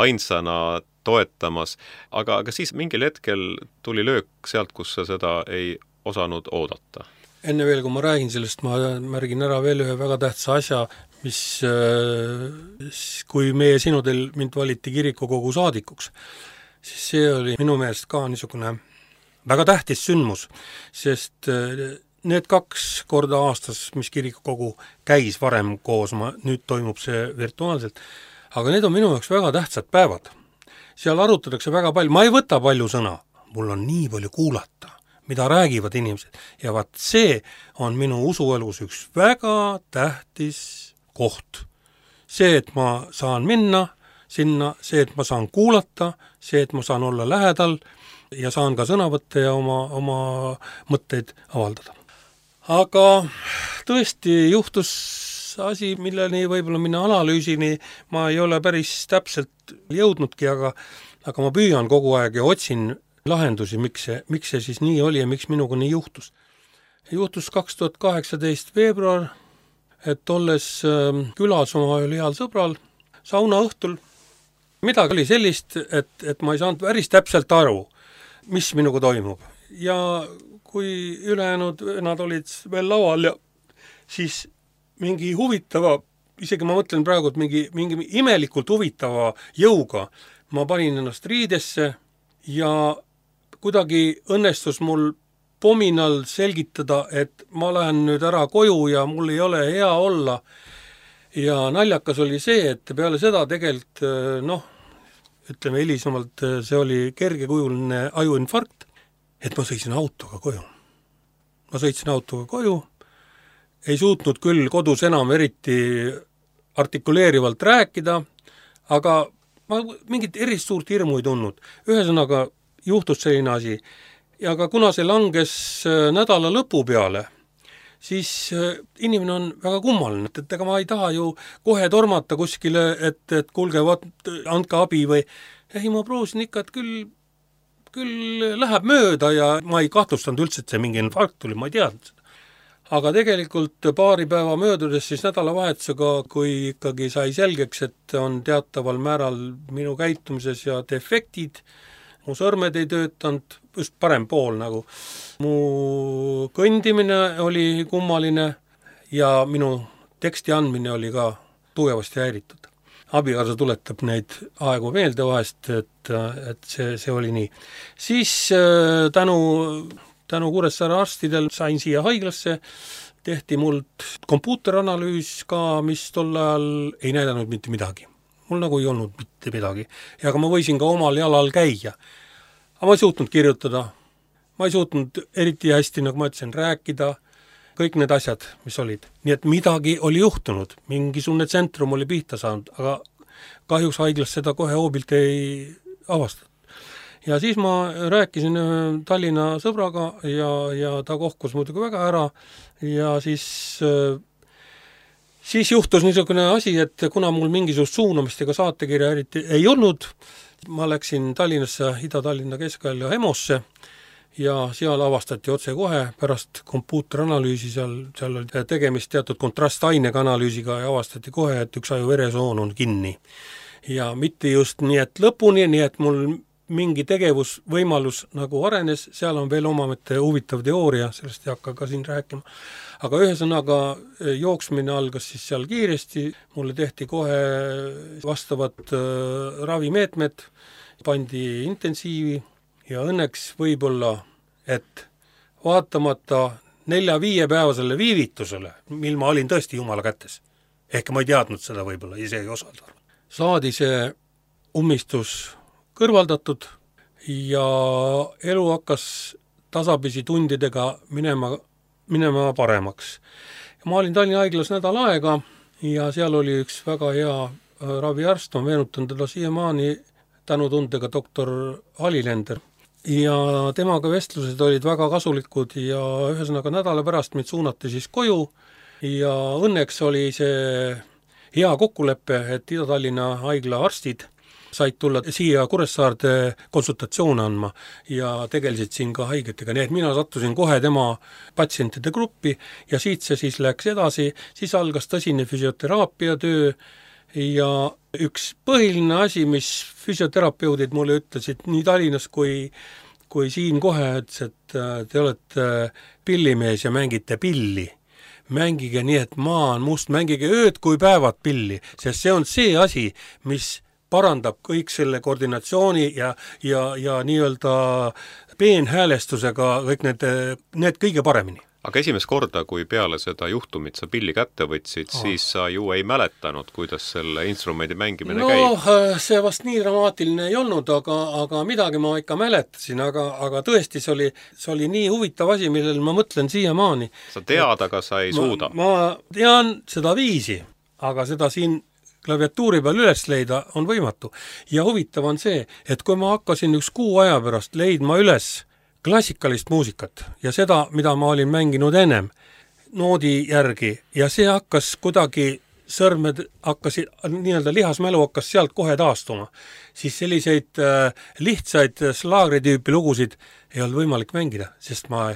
ainsana toetamas, aga siis mingil hetkel tuli löök sealt, kus sa seda ei osanud oodata. Enne veel, kui ma räägin sellest, ma märgin ära veel ühe väga tähtsa asja, mis kui meie sinudel mind valiti kirikukogu saadikuks, siis see oli minu meelest ka niisugune väga tähtis sündmus, sest need 2 korda aastas, mis kirikukogu käis varem koos, nüüd toimub see virtuaalselt, aga need on minu jaoks väga tähtsad päevad. Seal arutatakse väga palju, ma ei võta palju sõna, mul on nii palju kuulata, mida räägivad inimesed ja vaat see on minu usuelus üks väga tähtis koht. See, et ma saan minna sinna, see, et ma saan kuulata, see, et ma saan olla lähedal ja saan ka sõna võtta ja oma mõtteid avaldada. Aga tõesti juhtus asi, milleni võib-olla minna analüüsini ma ei ole päris täpselt jõudnudki, aga ma püüan kogu aeg ja otsin lahendusi, miks see siis nii oli ja miks minuga nii juhtus. Juhtus 2018 veebruar, et olles külas oma heal sõbral sauna õhtul, midagi oli sellist, et ma ei saanud päris täpselt aru, mis minuga toimub. Ja kui ülejäänud nad olid veel laual ja siis mingi huvitava, isegi ma mõtlen praegu, et mingi imelikult huvitava jõuga ma panin ennast riidesse ja kuidagi õnnestus mul pominal selgitada, et ma lähen nüüd ära koju ja mul ei ole hea olla. Ja naljakas oli see, et peale seda tegelikult, ütleme hilisemalt, see oli kergekujuline ajuinfarkt, et ma sõitsin autoga koju. Ei suutnud küll kodus enam eriti artikuleerivalt rääkida, aga ma mingit erist suurt hirmu ei tundnud. Ühesõnaga juhtus selline asi. Ja ka kuna see langes nädala lõpu peale, siis inimene on väga kummaline, et ega ma ei taha ju kohe tormata kuskile, et kuulge, andke abi või ei, ma proovisin ikka, et küll läheb mööda ja ma ei kahtlustanud üldse, et see mingi infarkt tuli, ma ei teadnud seda. Aga tegelikult paari päeva möödudes siis nädalavahetusega, kui ikkagi sai selgeks, et on teataval määral minu käitumises ja defektid, mu sõrmed ei töötanud, just parem pool nagu. Mu kõndimine oli kummaline ja minu teksti andmine oli ka tugevasti häiritud. Abikaasa tuletab neid aegu meelde vahest, et see oli nii. Siis tänu Kuressaare arstidel sain siia haiglasse, tehti mult kompuuteranalüüs ka, mis tol ajal ei näidanud mitte midagi. Mul nagu ei olnud mitte midagi. Ja aga ma võisin ka omal jalal käia. Aga ma ei suutnud kirjutada. Ma ei suutnud eriti hästi, nagu ma ütlesin, rääkida. Kõik need asjad, mis olid. Nii et midagi oli juhtunud. Mingisugune tsentrum oli pihta saanud, aga kahjuks haiglas seda kohe hoobilt ei avastatud. Ja siis ma rääkisin Tallinna sõbraga ja ta kohkus muidugi väga ära ja siis juhtus niisugune asi, et kuna mul mingisugust suunamist ega saatekirja eriti ei olnud, ma läksin Tallinnasse, Ida-Tallinna Keskvälja EMO-sse ja seal avastati otse kohe pärast kompuuteranalüüsi, seal oli tegemist teatud kontrastainega analüüsiga ja avastati kohe, et üks ajuveresoon on kinni. Ja mitte just nii, et lõpuni, nii et mul mingi tegevusvõimalus nagu arenes, seal on veel omamete huvitav teooria, sellest ei hakka ka siin rääkima. Aga ühesõnaga jooksmine algas siis seal kiiresti, mulle tehti kohe vastavad ravimeetmed, pandi intensiivi ja õnneks võib-olla, et vaatamata 4-5 päevasele viivitusele, mil ma olin tõesti Jumala kätes, ehk ma ei teadnud seda võib-olla, isegi osalt arvan, saadi see ummistus kõrvaldatud ja elu hakkas tasapisi tundidega minema paremaks. Ma olin Tallinna haiglas nädal aega ja seal oli üks väga hea raviarst, on meenutanud teda siiamaani tänutundega doktor Alilender. Ja temaga vestlused olid väga kasulikud ja ühesõnaga nädala pärast mind suunati siis koju ja õnneks oli see hea kokkulepe, et Ida-Tallinna haigla arstid said tulla siia Kuressaarde konsultatsioone andma ja tegelesid siin ka haigetega, nii et mina sattusin kohe tema patsientide gruppi ja siit see siis läks edasi, siis algas tõsine füsioteraapia töö ja üks põhiline asi, mis füsioterapeudid mulle ütlesid nii Tallinnas kui siin kohe, et te olete pillimees ja mängite pilli. Mängige nii, et maa on must, mängige ööd kui päevad pilli, sest see on see asi, mis parandab kõik selle koordinatsiooni ja nii-öelda peenhäälestusega kõik need kõige paremini. Aga esimest korda, kui peale seda juhtumit sa pilli kätte võtsid, siis sa ju ei mäletanud, kuidas selle instrumendi mängimine käib. See vast nii dramaatiline ei olnud, aga midagi ma ikka mäletasin, aga tõesti see oli nii huvitav asi, millel ma mõtlen siiamaani. Sa tead, aga sa ei suuda. Ma tean seda viisi, aga seda siin klaviatuuri peal üles leida on võimatu. Ja huvitav on see, et kui ma hakkasin üks kuu aja pärast leidma üles klassikalist muusikat ja seda, mida ma olin mänginud ennem noodi järgi ja see hakkas kuidagi sõrmed hakkasid, nii-öelda lihasmälu hakkas sealt kohe taastuma, siis selliseid lihtsaid slaagritüüpi lugusid ei olnud võimalik mängida, sest ma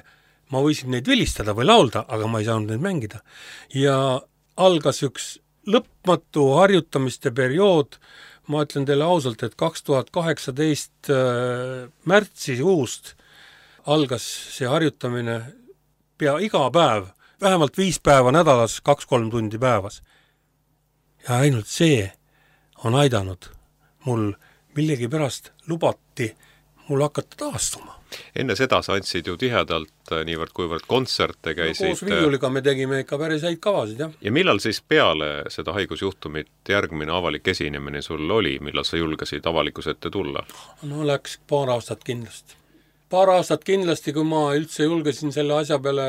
võisin neid vilistada või laulda, aga ma ei saanud neid mängida. Ja algas üks lõpmatu harjutamiste periood, ma ütlen teile ausalt, et 2018 märtsikuust algas see harjutamine pea iga päev, vähemalt 5 päeva nädalas, 2-3 tundi päevas. Ja ainult see on aidanud mul millegi pärast lubati mul hakata taastuma. Enne seda sa andsid ju tihedalt niivõrd kuivõrd kontserte käisid. Koos Viljuliga me tegime ikka päris häid kavasid, jah. Ja millal siis peale seda haigusjuhtumit järgmine avalik esinemine sul oli, millal sa julgesid avalikus ette tulla? No läks paar aastat kindlasti, kui ma üldse julgesin selle asja peale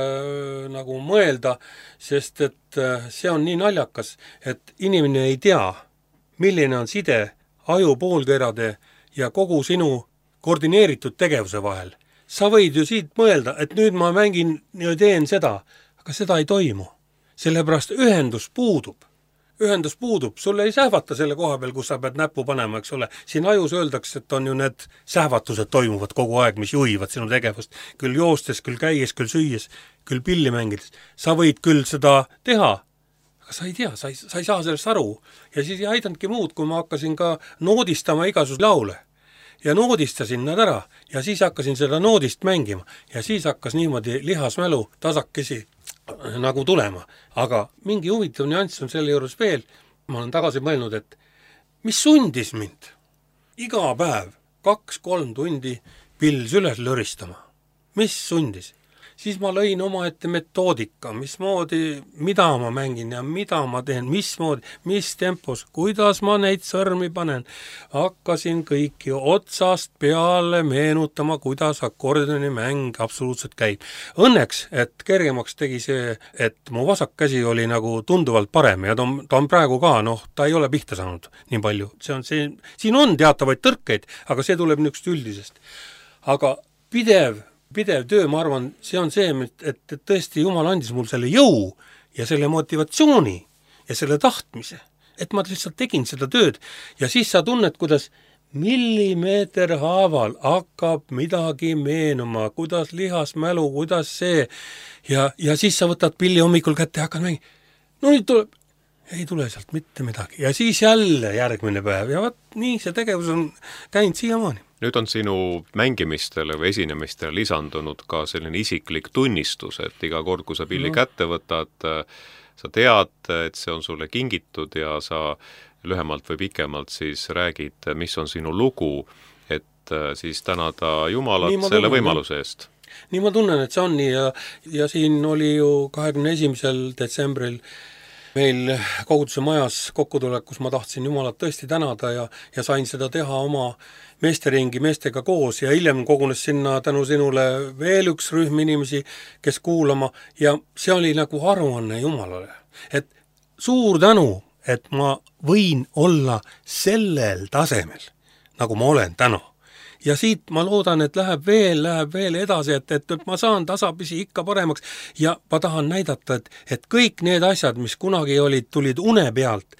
nagu mõelda, sest et see on nii naljakas, et inimene ei tea, milline on side aju poolkerade ja kogu sinu koordineeritud tegevuse vahel. Sa võid ju siit mõelda, et nüüd ma mängin ja teen seda, aga seda ei toimu. Sellepärast ühendus puudub, sulle ei sähvata selle koha peal, kus sa pead näppu panema, eks ole. Siin ajus öeldakse, et on ju need sähvatused toimuvad kogu aeg, mis juhivad sinu tegevust. Küll joostes, küll käies, küll süües, küll pilli mängides. Sa võid küll seda teha, aga sa ei tea, sa ei saa sellest aru. Ja siis ei aidanudki muud, kui ma hakkasin ka noodistama igasuguse laule. Ja noodistasin nad ära ja siis hakkasin seda noodist mängima ja siis hakkas niimoodi lihasmälu tasakesi nagu tulema. Aga mingi huvitav nüanss on selle juures veel. Ma olen tagasi mõelnud, et mis sundis mind iga päev 2-3 tundi pils üles löristama. Mis sundis? Siis ma lõin oma ette metoodika, mismoodi, mida ma mängin ja mida ma teen, mismoodi, mis tempos, kuidas ma neid sõrmi panen. Hakkasin kõiki otsast peale meenutama, kuidas akordioni mäng absoluutselt käib. Õnneks, et kergemaks tegi see, et mu vasak käsi oli nagu tunduvalt parem ja ta on praegu ka, ta ei ole pihta saanud nii palju. Siin on teatavaid tõrkeid, aga see tuleb niisugust üldisest. Aga pidev töö, ma arvan, see on see, et tõesti Jumal andis mul selle jõu ja selle motivatsiooni ja selle tahtmise, et ma lihtsalt tegin seda tööd ja siis sa tunned, kuidas millimeeter haaval hakkab midagi meenuma, kuidas lihasmälu, kuidas see, ja siis sa võtad pilli hommikul kätte ja hakkad mängima. No nüüd tuleb, ei tule sealt mitte midagi. Ja siis jälle järgmine päev ja vaat nii see tegevus on käinud siiamaani. Nüüd on sinu mängimistele või esinemistele lisandunud ka selline isiklik tunnistus, et iga kord, kui sa pilli kätte võtad, sa tead, et see on sulle kingitud ja sa lühemalt või pikemalt siis räägid, mis on sinu lugu, et siis tänada Jumalat selle võimaluse eest. Nii ma tunnen, et see on nii ja siin oli ju 21. detsembril meil koguduse majas kokkutulekus ma tahtsin Jumalat tõesti tänada ja sain seda teha oma meesteringi meestega koos ja hiljem kogunes sinna tänu sinule veel üks rühm inimesi, kes kuulama ja see oli nagu aruanne Jumalale. Et suur tänu, et ma võin olla sellel tasemel, nagu ma olen täna. Ja siit ma loodan, et läheb veel edasi, et ma saan tasapisi ikka paremaks ja ma tahan näidata, et kõik need asjad, mis kunagi tulid une pealt,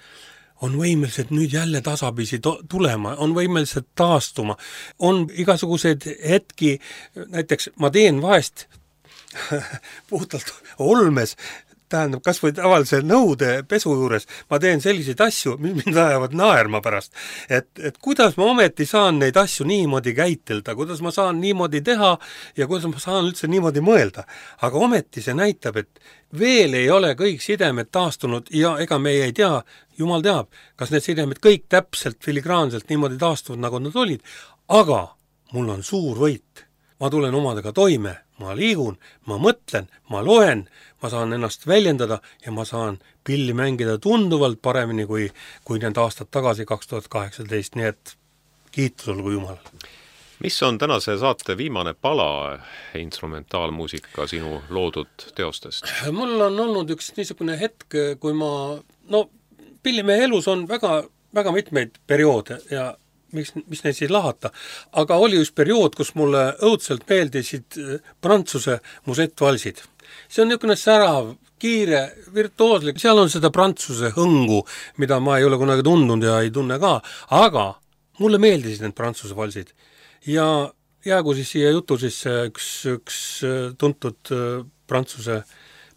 on võimelised nüüd jälle tasapisi tulema, on võimelised taastuma. On igasuguseid hetki, näiteks ma teen vahest puhtalt olmes, tähendab, kas või tavalise nõude pesu juures, ma teen selliseid asju, mis mind ajavad naerma pärast. Et kuidas ma ometi saan neid asju niimoodi käitelda, kuidas ma saan niimoodi teha ja kuidas ma saan üldse niimoodi mõelda. Aga ometi see näitab, et veel ei ole kõik sidemed taastunud ja ega me ei tea, Jumal teab, kas need sidemed kõik täpselt filigraanselt niimoodi taastuvad, nagu nad olid. Aga mul on suur võit. Ma tulen omadega toime, ma liigun, ma mõtlen, ma loen, ma saan ennast väljendada ja ma saan pilli mängida tunduvalt paremini kui need aastad tagasi 2018, nii et kiitus olgu Jumal. Mis on tänase saate viimane pala instrumentaalmuusika sinu loodud teostest? Mul on olnud üks niisugune hetk, kui ma, pillimehe elus on väga, väga mitmeid perioode ja mis neid siis lahata, aga oli üks periood, kus mulle õudselt meeldisid prantsuse musettvalsid. See on niisugune särav, kiire, virtuooslik, seal on seda prantsuse hõngu, mida ma ei ole kunagi tundnud ja ei tunne ka, aga mulle meeldisid need prantsuse valsid. Ja jäägu siis siia jutu sisse üks tuntud prantsuse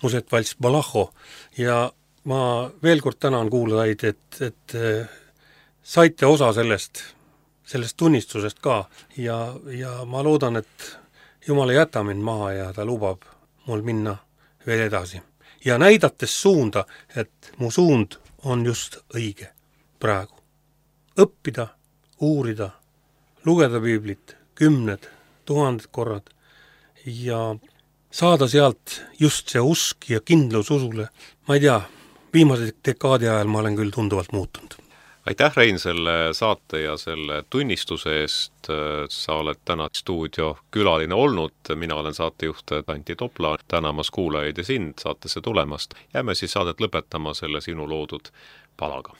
musettvals Balacho ja ma veel kord tänan kuulajaid, et saite osa sellest tunnistusest ka ja ma loodan, et Jumal ei jäta mind maha ja ta lubab mul minna veel edasi. Ja näidates suunda, et mu suund on just õige praegu. Õppida, uurida, lugeda piiblit 10 000 korrad ja saada sealt just see usk ja kindlus usule. Ma ei tea, viimase dekaadi ajal ma olen küll tunduvalt muutunud. Aitäh, Rein, selle saate ja selle tunnistuse eest. Sa oled täna stuudio külaline olnud. Mina olen saatejuht Antti Topla. Tänamas kuulajaid ja sind saatesse tulemast. Jääme siis saadet lõpetama selle sinu loodud palaga.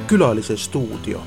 Külalise stuudio.